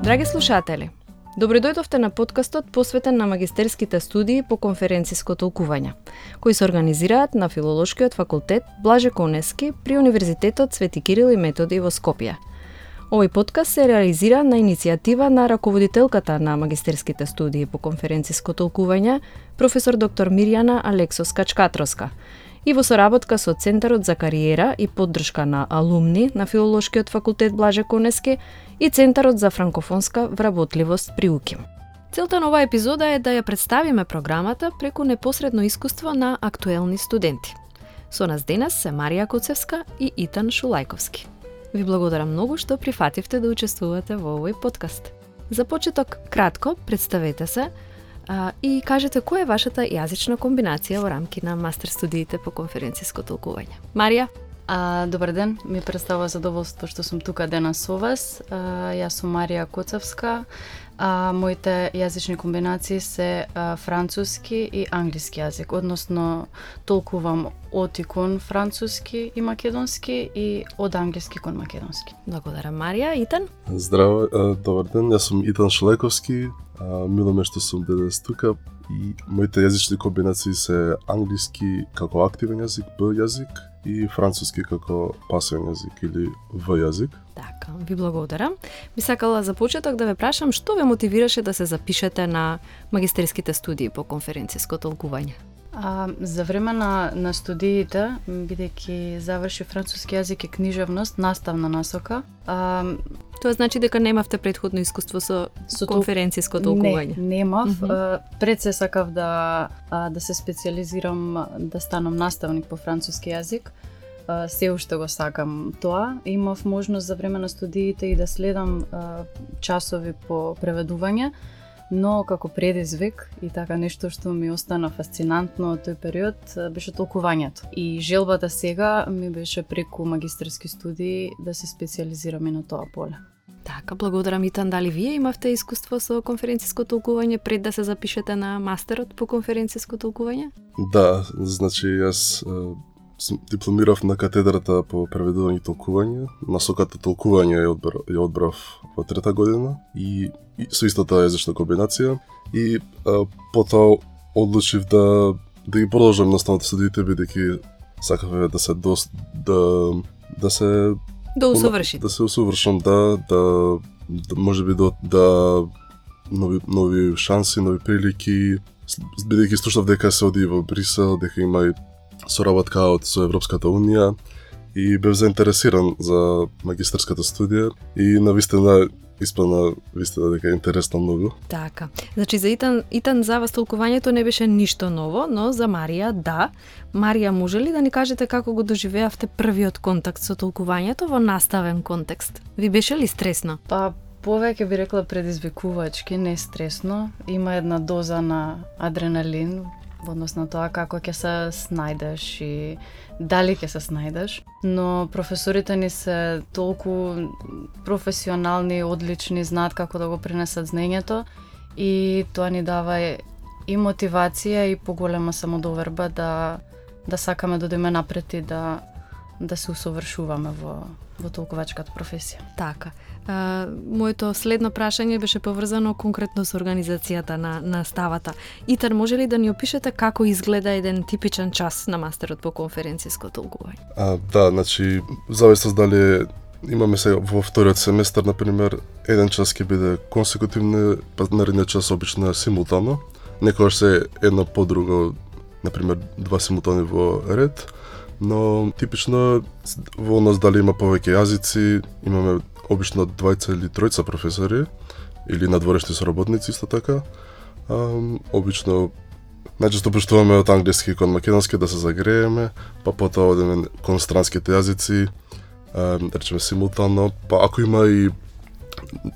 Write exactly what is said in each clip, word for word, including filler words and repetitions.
Драги слушатели, добро дојдовте на подкастот посветен на магистерските студии по конференциско толкување, кои се организираат на Филолошкиот факултет Блаже Конески при Универзитетот Свети Кирил и Методи во Скопје. Овој подкаст се реализира на иницијатива на раководителката на магистерските студии по конференциско толкување, професор доктор Мирјана Алексос-Качкатроска, и во соработка со Центарот за кариера и поддршка на алумни на Филолошкиот факултет Блаже Конески и Центарот за франкофонска вработливост при УКИМ. Целта на оваа епизода е да ја представиме програмата преку непосредно искуство на актуелни студенти. Со нас денес се Марија Коцевска и Итан Шулајковски. Ви благодарам многу што прифативте да учествувате во овој подкаст. За почеток, кратко представете се а, и кажете која е вашата јазична комбинација во рамки на мастер студиите по конференциско толкување. Марија? А, добар ден, ми представува задоволство што сум тука денес со вас. А, јас сум Марија Коцевска. А, моите јазични комбинации се а, француски и англиски јазик, односно толкувам од и кон француски и македонски и од англиски кон македонски. Благодарам, Марија. Итан? Здраво, добар ден, јас сум Итан Шулајковски. Мило ме што сум денес тука и моите јазични комбинации се англиски како активен јазик, Б јазик, и француски како пасивен јазик или В јазик. Така, ви благодарам. Би сакала за почеток да ве прашам што ве мотивираше да се запишете на магистерските студии по конференциско толкување? А, за време на, на студиите, бидејќи заврши француски јазик и книжевност, наставна насока. А, Тоа значи дека немавте претходно искуство со, со конференциско толкување? Не, немав. Mm -hmm. Пред се сакав да, да се специализирам, да станам наставник по француски јазик. Се уште го сакам тоа. Имав можност за време на студиите и да следам часови по преведување, но како предизвик и така нешто што ми остана фасцинантно од тој период беше толкувањето. И желбата сега ми беше преку магистерски студии да се специализирам и на тоа поле. Така, благодарам. Итан, дали вие имавте искуство со конференциско толкување пред да се запишете на мастерот по конференциско толкување? Да, значи јас дипломирав на катедрата по преведување и толкување. Насоката толкување ја одбрав, ја одбрав во трета година и, и со истата јазична комбинација. И а, потоа одлучив да да ги продолжам наставните студиите, бидејќи сакав да се дос, да да се да усовршите. Да се усовршам, да да да можеби да да нови нови шанси, нови прилики, бидејќи слушав дека се оди во Брисел, дека има и соработка од со Европската унија и бев заинтересиран за магистерската студија и навистина испадна вистина дека е интересно многу. Така. Значи за Итан, Итан за вас толкувањето не беше ништо ново, но за Марија да. Марија, може ли да ни кажете како го доживеавте првиот контакт со толкувањето во наставен контекст? Ви беше ли стресно? Па повеќе би рекла предизвикувачки, не стресно. Има една доза на адреналин во однос на тоа како ќе се снајдеш и дали ќе се снајдеш. Но професорите ни се толку професионални, одлични, знаат како да го пренесат знаењето и тоа ни дава и мотивација и поголема самодоверба да да сакаме да одиме напред и да да се усовршуваме во во толкувачката професија. Така. А, моето следно прашање беше поврзано конкретно со организацијата на наставата. Итар, може ли да ни опишете како изгледа еден типичен час на мастерот по конференциско толкување? А, да, значи, зависи дали имаме сега во вториот семестар, например, еден час ќе биде консекутивно, па наредниот час обично симултано. Некогаш се една по друго, например, два симултани во ред, но типично во нас дали има повеќе јазици, имаме обично двајца или тројца професори или надворешни соработници исто така. А, обично најчесто пуштуваме од англиски кон македонски да се загрееме, па потоа одиме кон странските јазици, а, да речеме симултано, па ако има и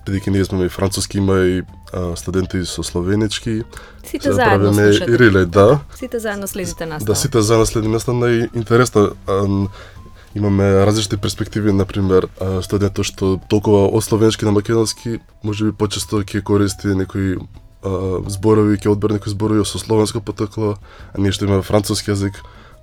бидејќи ние сме и француски, има и а, студенти со словенички. Сите заедно слушате. И реле, да. Сите заедно следите настава. Да, сите заедно следиме настава. Најинтересно имаме различни перспективи, например, студентот што толкова од словенски на македонски, можеби почесто ќе користи некои зборови, ќе одбере некои зборови со словенско потекло, а ние што имаме француски јазик,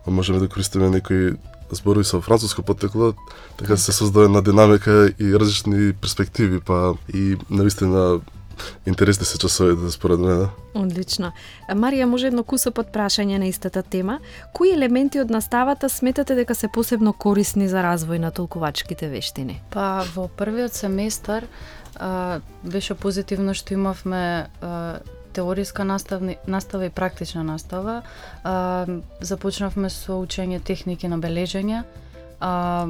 можеме да користиме некои зборови со француско поттекло, така се создаде една динамика и различни перспективи, па и навистина интересни се часовите според мене. Одлично. Марија, може едно кусо под прашање на истата тема. Кои елементи од наставата сметате дека се посебно корисни за развој на толкувачките вештини? Па во првиот семестар а, беше позитивно што имавме а, теориска наставни, настава и практична настава. А, започнавме со учење техники на бележење. А,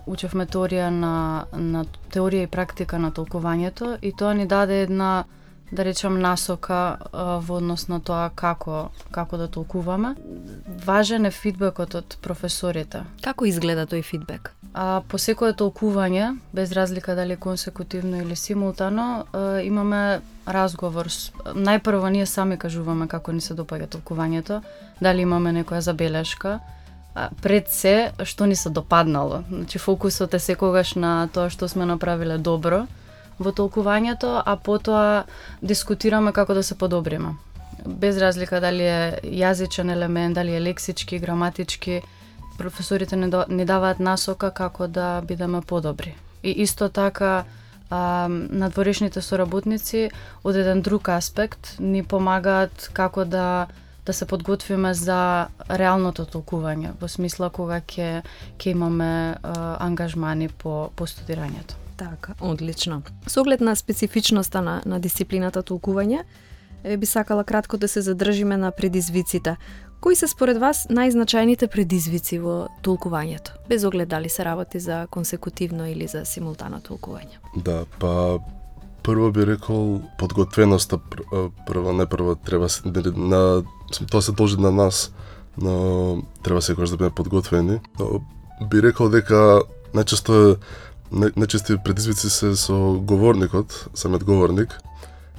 учевме теорија на, на теорија и практика на толкувањето и тоа ни даде една, да речам, насока а, во однос на тоа како како да толкуваме. Важен е фидбекот од професорите. Како изгледа тој фидбек? А, по секое толкување, без разлика дали консекутивно или симултано, а, имаме разговор. Најпрво ние сами кажуваме како ни се допаѓа толкувањето, дали имаме некоја забелешка, а, пред се што ни се допаднало. Значи фокусот е секогаш на тоа што сме направиле добро во толкувањето, а потоа дискутираме како да се подобриме. Без разлика дали е јазичен елемент, дали е лексички, граматички, професорите ни даваат насока како да бидеме подобри. И исто така а, надворешните соработници од еден друг аспект ни помагаат како да да се подготвиме за реалното толкување, во смисла кога ќе ќе имаме а, ангажмани по по студирањето. Така, одлично. Со оглед на специфичноста на на дисциплината толкување, би сакала кратко да се задржиме на предизвиците. Кои се според вас најзначајните предизвици во толкувањето, без оглед дали се работи за консекутивно или за симултано толкување? Да, па прво би рекол подготвеноста, прво не прво треба на тоа се должи на нас, но треба секогаш да бидеме подготвени. Но би рекол дека најчесто најчести предизвици се со говорникот, самиот говорник,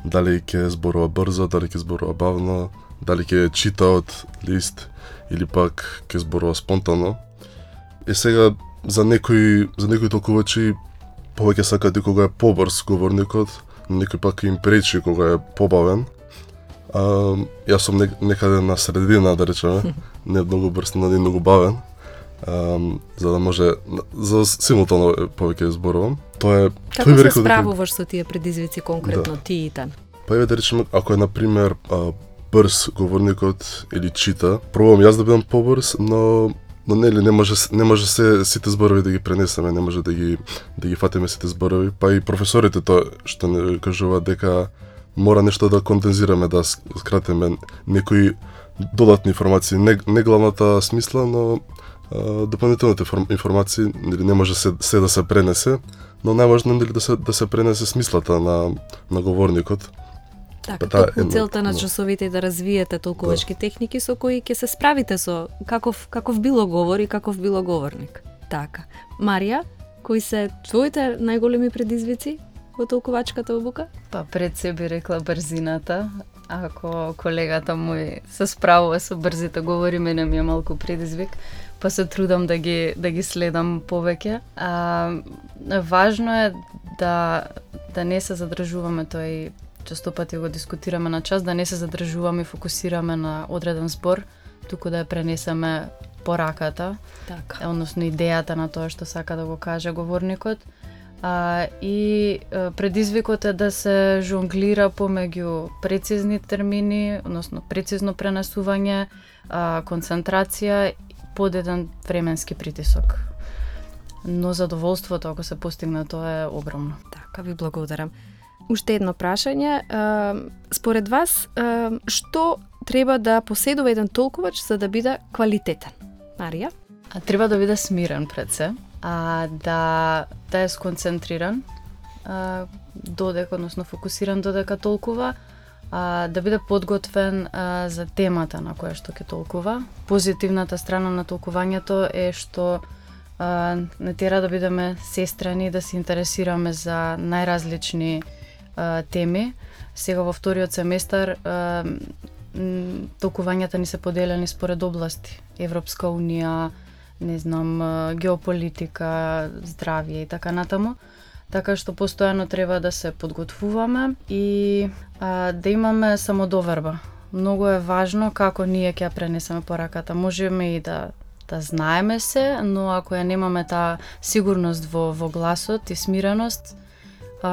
дали ќе зборува брзо, дали ќе зборува бавно, дали ќе чита од лист или пак ќе зборува спонтано. И сега за некои за некои толкувачи повеќе сакаат и кога е побрз говорникот, некој пак им пречи кога е побавен. А, јас сум некаде на средина, да речеме, не многу брз, но не многу бавен. А, за да може за симултано повеќе зборувам. Тоа е Како тој се рекол справуваш со тие предизвици конкретно, да. Ти и Тан? Па еве да речеме, ако е на пример а, брз говорникот или чита, пробувам јас да бидам побрз, но но нели не може не може се сите зборови да ги пренесеме, не може да ги да ги фатиме сите зборови, па и професорите тоа што не кажуваат дека мора нешто да кондензираме, да скратиме некои додатни информации, не, не главната смисла, но а, дополнителните информации, нели не може се, се да се пренесе, но најважно нели да се да се пренесе смислата на на говорникот. Така, токму целта на часовите е да развиете толкувачки да. техники со кои ќе се справите со каков каков било говор и каков било говорник. Така. Марија, кои се твоите најголеми предизвици во толкувачката обука? Па пред се би рекла брзината. Ако колегата мој се справува со брзите говори, мене ми е малку предизвик, па се трудам да ги да ги следам повеќе. А важно е да да не се задржуваме, тоа и често пати го дискутираме на час, да не се задржуваме и фокусираме на одреден збор, туку да ја пренесеме пораката, така. Односно идејата на тоа што сака да го каже говорникот. А, и а, предизвикот е да се жонглира помеѓу прецизни термини, односно прецизно пренесување, а, концентрација под еден временски притисок. Но задоволството ако се постигне тоа е огромно. Така, ви благодарам. Уште едно прашање. Според вас, што треба да поседува еден толкувач за да биде квалитетен? Марија? А, треба да биде смирен пред се, а, да, да е сконцентриран, а, додека, односно фокусиран додека толкува, а, да биде подготвен а, за темата на која што ќе толкува. Позитивната страна на толкувањето е што а, не тера да бидеме сестрани, да се интересираме за најразлични а, теми. Сега во вториот семестар а, толкувањата ни се поделени според области. Европска унија, не знам, геополитика, здравје и така натаму. Така што постојано треба да се подготвуваме и а, да имаме самодоверба. Многу е важно како ние ќе ја пренесеме пораката. Можеме и да да знаеме се, но ако ја немаме таа сигурност во, во гласот и смиреност, а,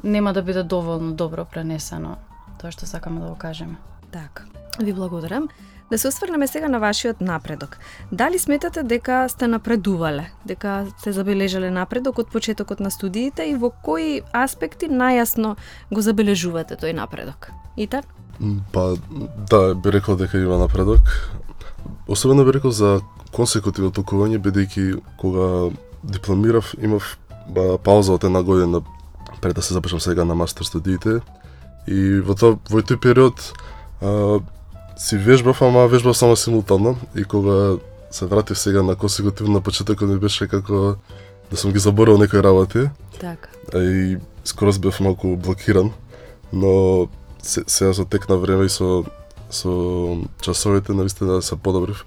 нема да биде доволно добро пренесено тоа што сакаме да го кажеме. Така, ви благодарам. Да се осврнеме сега на вашиот напредок. Дали сметате дека сте напредувале, дека сте забележале напредок од почетокот на студиите и во кои аспекти најасно го забележувате тој напредок? Итар? Па, да, би рекол дека има напредок. Особено би рекол за консекутивно толкување, бидејќи кога дипломирав, имав ба, пауза од една година пред да се запишам сега на мастер студиите. И во тоа во тој период а, си вежбав, ама вежбав само симултанно. И кога се вратив сега на консекутивно, на почетокот ми беше како да сум ги заборал некои работи. Така. И скоро бев малку блокиран, но се, сега со тек на време и со со часовите навистина се подобрив.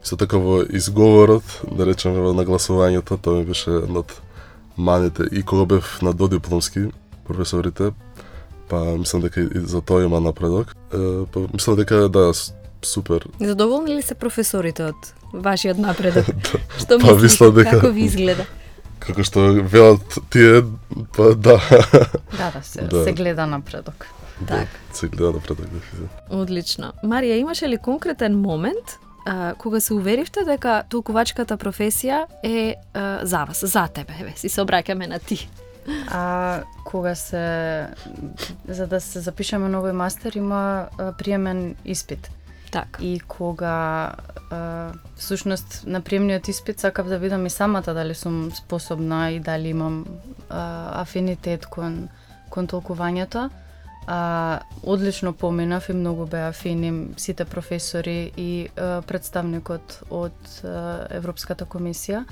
Исто така во изговорот, да речеме во нагласувањето, тоа ми беше една од маните. И кога бев на додипломски професорите, па мислам дека и за тоа има напредок. Е, па мислам дека да, супер. Задоволни ли се професорите од вашиот напредок? Да. Што Па, мислите, мислам дека- како ви изгледа? Како што велат тие, па да. Да, да, се, Да. се гледа напредок. Так. Се гледа напредок. Да. Одлично. Марија, имаше ли конкретен момент а, кога се уверивте дека толкувачката професија е а, за вас, за тебе? Еве, си се обраќаме на ти. А кога се за да се запишеме на овој мастер има а, приемен испит. Така. И кога а, всушност на приемниот испит сакав да видам и самата дали сум способна и дали имам а, афинитет кон кон толкувањето. А, одлично поминав и многу беа фини сите професори и а, представникот од а, Европската комисија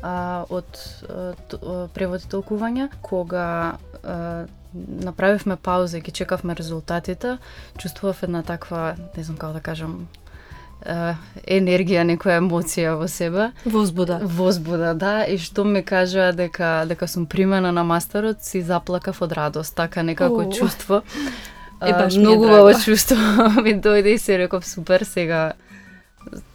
а, од а, т- а, превод и толкување. Кога а, направивме пауза и ги чекавме резултатите, чувствував една таква, не знам како да кажам, а, енергија, некоја емоција во себе. Возбуда. Возбуда, да, и што ми кажа дека дека сум примена на мастерот, си заплакав од радост, така некако Оу. чувство. Е, А, баш ми е многу драго. убаво чувство ми дојде и си реков супер сега.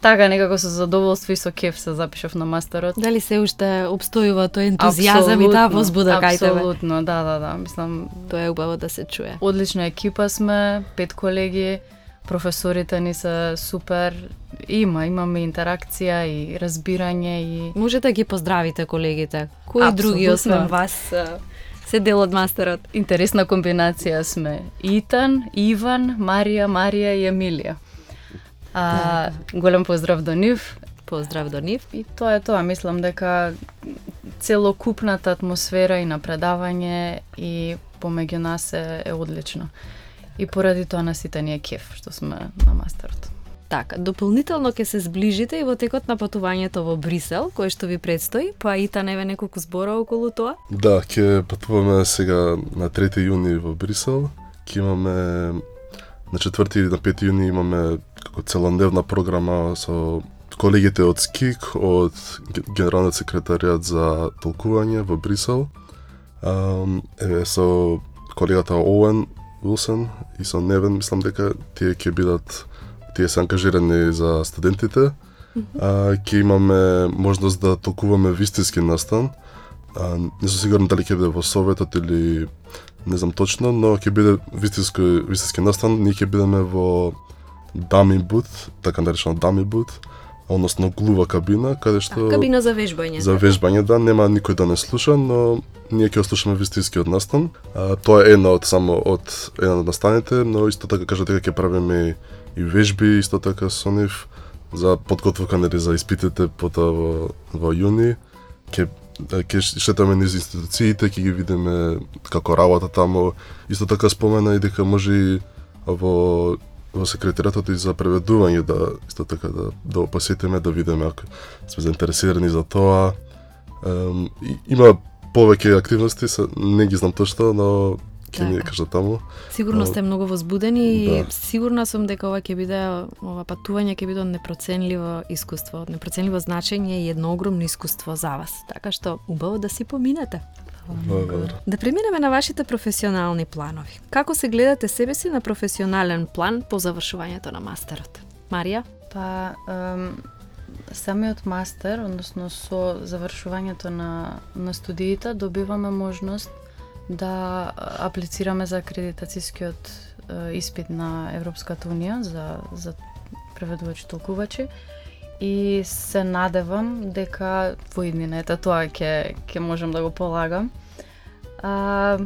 Така некако со задоволство и со кеф се запишав на мастерот. Дали се уште обстојува тој ентузијазам и таа Апсолутно, возбуда кај тебе? Апсолутно, да, да, да, мислам, Тоа е убаво да се чуе. одлична екипа сме, пет колеги, професорите ни се супер, има, имаме интеракција и разбирање и Можете да ги поздравите колегите. Кои Апсолутно. други освен вас а, се дел од мастерот? интересна комбинација сме. Итан, Иван, Марија, Марија и Емилија. А, голем поздрав до нив. Поздрав до нив. И тоа е тоа, мислам дека целокупната атмосфера и на предавање и помеѓу нас е, е одлично. И поради тоа на сите ни е кеф што сме на мастерот. Така, дополнително ќе се зближите и во текот на патувањето во Брисел, кое што ви предстои, па и та неве неколку збора околу тоа. Да, ќе патуваме сега на трети јуни во Брисел. Ќе имаме на четврти и на пети јуни имаме како целодневна програма со колегите од СКИК, од Ге- Генералниот секретаријат за толкување во Брисел. Ам, еве со колегата Оуен Уилсон и со Невен, мислам дека тие ќе бидат тие се ангажирани за студентите. А, ќе имаме можност да толкуваме вистински настан. А, не сум сигурен дали ќе биде во Советот или не знам точно, но ќе биде вистински вистински настан. Ние ќе бидеме во Дами бут, така наречено Дами бут, односно глува кабина, каде што Кабина за вежбање. за вежбање, да, нема никој да не слуша, но ние ќе слушаме вистинскиот настан. А, тоа е една од само од една од настаните, но исто така кажа дека ќе правиме и вежби, исто така со нив за подготовка нели за испитите потоа во во јуни. Ќе ќе шетаме низ институциите, ќе ги видиме како работа таму. Исто така спомена и дека може и во во секретаријатот и за преведување да исто така да да посетиме, да видиме ако сме заинтересирани за тоа. Ем, и, има повеќе активности, се, не ги знам точно, но ќе ми Така. кажа таму. Сигурно сте многу возбудени и Да. сигурна сум дека ова ќе биде ова патување ќе биде од непроценливо искуство, од непроценливо значење и едно огромно искуство за вас. Така што убаво да си поминете. Благодарам. Да преминеме на вашите професионални планови. Како се гледате себе си на професионален план по завршувањето на мастерот? Марија? Па, ем, самиот мастер, односно со завршувањето на, на студиите, добиваме можност да аплицираме за акредитацијскиот е, испит на Европската Унија за, за преведувачи толкувачи и се надевам дека во иднината тоа ќе ќе можам да го полагам. А,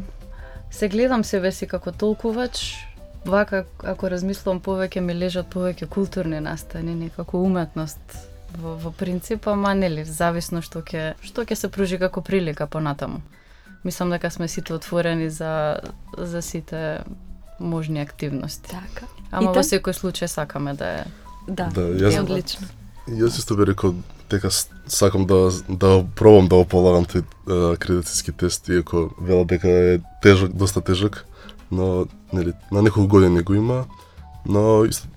се гледам себе си како толкувач, вака ако размислувам повеќе ми лежат повеќе културни настани, некако уметност во, во принцип, ама нели зависно што ќе што ќе се пружи како прилика понатаму. Мислам дека сме сите отворени за за сите можни активности. Така. Ама во секој случај сакаме да е. Да, Да, е јас- одлично. Јас исто би рекол дека с- сакам да да пробам да го полагам тој е, акредитацијски тест, иако велат дека е тежок, доста тежок, но нели на неколку години го има, но исто,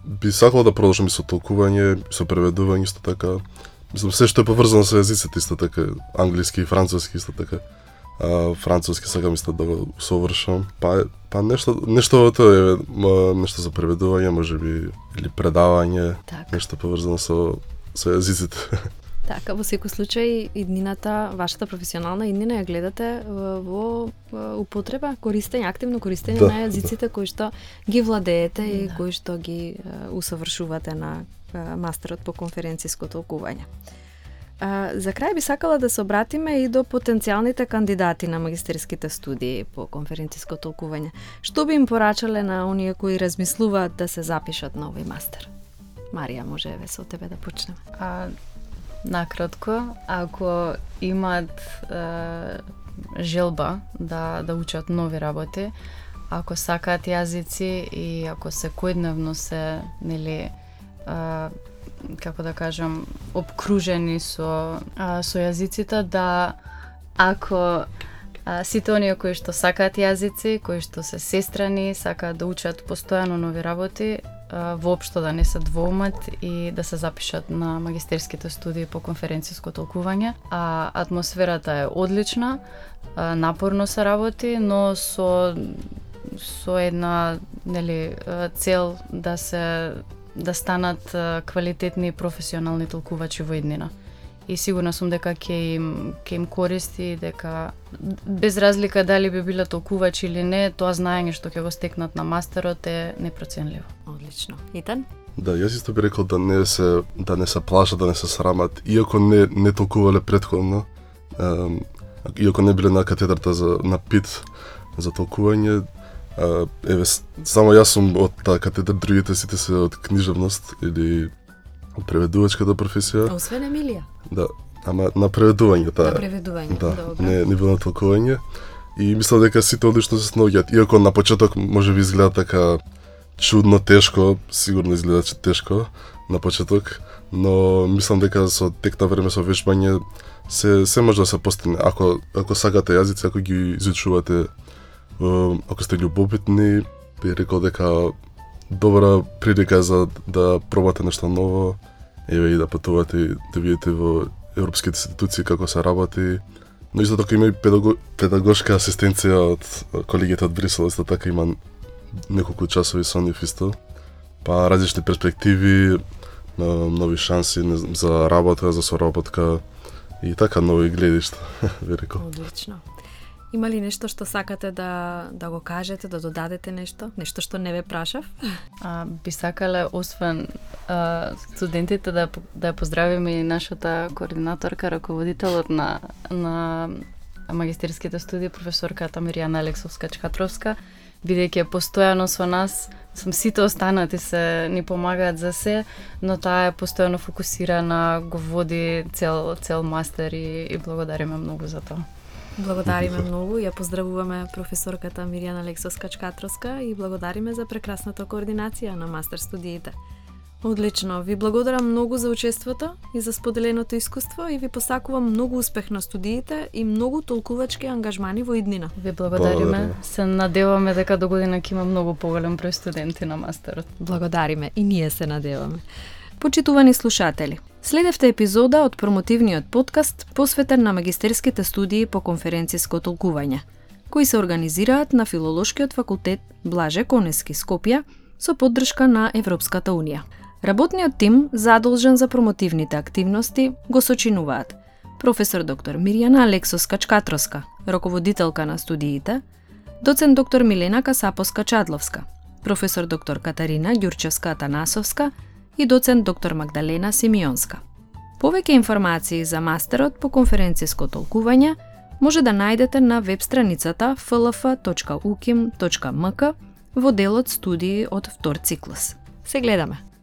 би сакал да продолжам и со толкување, и со преведување исто така. Мислам се што е поврзано со езиците исто така, англиски и француски исто така. А, француски сакам исто да го усовршам. Па па нешто нешто тоа е ма, нешто за преведување, можеби или предавање, Така. нешто поврзано со со езиците. Така, во секој случај, иднината, вашата професионална иднина ја гледате во, во употреба, користење, активно користење Да, на езиците кои што ги владеете и Да. кои што ги е, усавршувате на е, мастерот по конференциско толкување. А, за крај би сакала да се обратиме и до потенцијалните кандидати на магистерските студии по конференциско толкување. Што би им порачале на оние кои размислуваат да се запишат на овој мастер? Марија, може еве со тебе да почнеме. А, накратко, ако имаат е, желба да да учат нови работи, ако сакаат јазици и ако секојдневно се, нели, а, како да кажам, обкружени со а, со јазиците, да ако а, сите оние кои што сакаат јазици, кои што се сестрани, сакаат да учат постојано нови работи, а, воопшто да не се двоумат и да се запишат на магистерските студии по конференциско толкување. А атмосферата е одлична, а, напорно се работи, но со со една, нели, цел да се да станат квалитетни и професионални толкувачи во иднина. И сигурна сум дека ќе им ќе им користи, дека без разлика дали би биле толкувачи или не, тоа знаење што ќе го стекнат на мастерот е непроценливо. Одлично. Итан? Да, јас исто би рекол да не се да не се плашат, да не се срамат, иако не не толкувале претходно, ем, иако не биле на катедрата за на ПИТ за толкување. Uh, еве, само јас сум од таа катедра, другите сите се од книжевност или од преведувачката професија. Освен Емилија. Да, ама на преведување таа. На преведување, Да, добро. не, не било на толкување. И мислам дека сите одлично се снаоѓаат. Иако на почеток може би изгледа така чудно, тешко, сигурно изгледа че тешко на почеток, но мислам дека со тек на време со вежбање се се може да се постигне. Ако ако сакате јазици, ако ги изучувате, ако сте љубопитни, би рекол дека добра прилика за да пробате нешто ново, еве и да патувате и да видите во европските институции како се работи. Но исто така има и педаго, педагошка асистенција од колегите од Брисел, исто така има неколку часови со нив исто. Па различни перспективи, нови шанси за работа, за соработка и така нови гледишта, би рекол. Одлично. Има ли нешто што сакате да да го кажете, да додадете нешто? Нешто што не ве прашав? А, би сакале, освен а, студентите, да, да ја поздравиме и нашата координаторка, раководителот на, на магистерските студии, професорката Миријана Алексовска-Чкатровска, бидејќи е постојано со нас, сум сите останати се ни помагаат за се, но таа е постојано фокусирана, го води цел, цел мастер и, и благодариме многу за тоа. Благодариме многу, ја поздравуваме професорката Миријана Алексовска-Чкатровска и благодариме за прекрасната координација на мастер студиите. Одлично, ви благодарам многу за учеството и за споделеното искуство и ви посакувам многу успех на студиите и многу толкувачки ангажмани во иднина. Ви благодариме. Благодариме. Се надеваме дека до година ќе има многу поголем број студенти на мастерот. Благодариме и ние се надеваме. Почитувани слушатели, следевте епизода од промотивниот подкаст посветен на магистерските студии по конференциско толкување, кои се организираат на Филолошкиот факултет Блаже Конески, Скопје, со поддршка на Европската Унија. Работниот тим, задолжен за промотивните активности, го сочинуваат професор доктор Мирјана Алексовска-Чкатроска, раководителка на студиите, доцент доктор Милена Касапоска-Чадловска, професор доктор Катарина Ѓурчевска-Атанасовска и доцент доктор Магдалена Симеонска. Повеќе информации за мастерот по конференциско толкување може да најдете на веб страницата еф ел еф точка у ким точка ем ка во делот студии од втор циклус. Се гледаме!